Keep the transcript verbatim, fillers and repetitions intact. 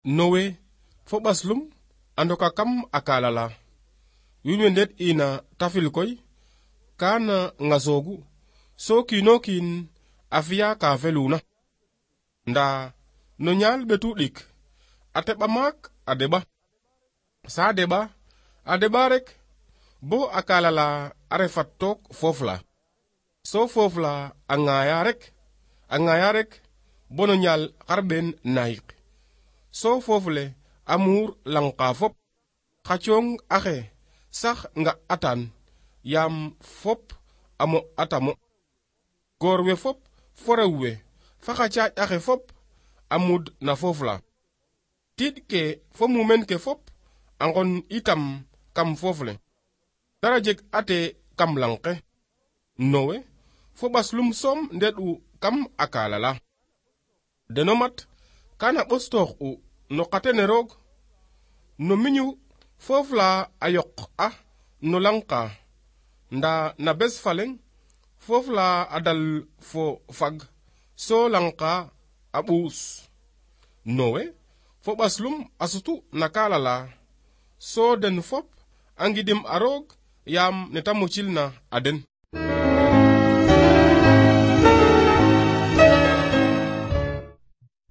Nowe fo ɓaslum a ndoka kam a kaala la wiin we ndet ina tafil koy kaana ŋasoogu so kiino kiin a fiya ka feluna nda no ñaal ɓetu ɗik a teɓa maak a deɓa sa deɓa a deɓa rek bo a kaala la a refat took foof la so foof la a ŋaaya rek a ŋaaya rek bo no ñaal xarɓeen naayik so foofule a muur langka fop xa cooŋ axe sax nga atan yaam fop amo atamo goor we fop fo rew we fa xa caaƴ axe fop a mud na foof la tiiɗ ke fo mumeen ke fop a ngon itam kam foof le dara jeg ate kam lang ke Nowe fo ɓaslum soom ndeɗ'u kam a kaala la deno mat kana ɓostoox u no qatene roog no miñu foof la a yoq a no langka nda na bes faleng foof la a dal fo fag so langka a ɓuus Nowe fo ɓaslum a sutu na kaala la so den fop a ngidim a roog yaam neta mucil na a den